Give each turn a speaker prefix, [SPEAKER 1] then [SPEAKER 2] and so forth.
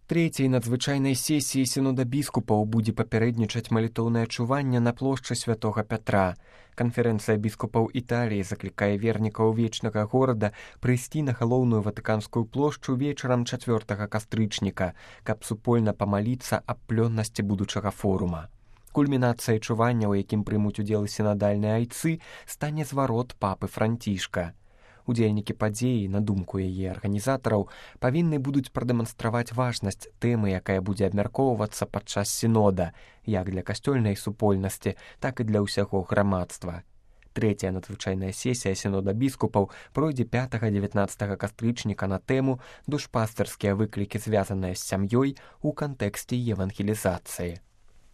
[SPEAKER 1] Трэцяй надзвычайнай сесіі сінода біскупаў будзе папярэднічаць малітоўнае чуванне на плошчы святога Пятра. Канферэнцыя біскупаў Італіі заклікае вернікаў вечнага горада прыйсці на галоўную ватыканскую плошчу вечарам 4 кастрычніка, каб супольна памаліцца аб плённасці будучага форума. Кульмінацыяй чування, у якім прымуць удзел сінадальныя айцы, стане зварот папы Францішка. Удзельнікі падзеі, на думку яе арганізатараў, павінны будуць прадэманстраваць важнасць тэмы, якая будзе абмяркоўвацца падчас сінода, як для касцёльнай супольнасці, так і для ўсяго грамадства. Трэцяя надзвычайная сесія сінода біскупаў пройдзе 5-19 кастрычніка на тэму «Душпастырскія выклікі, звязаныя з сям'ёй у кантэксце евангелізацыі».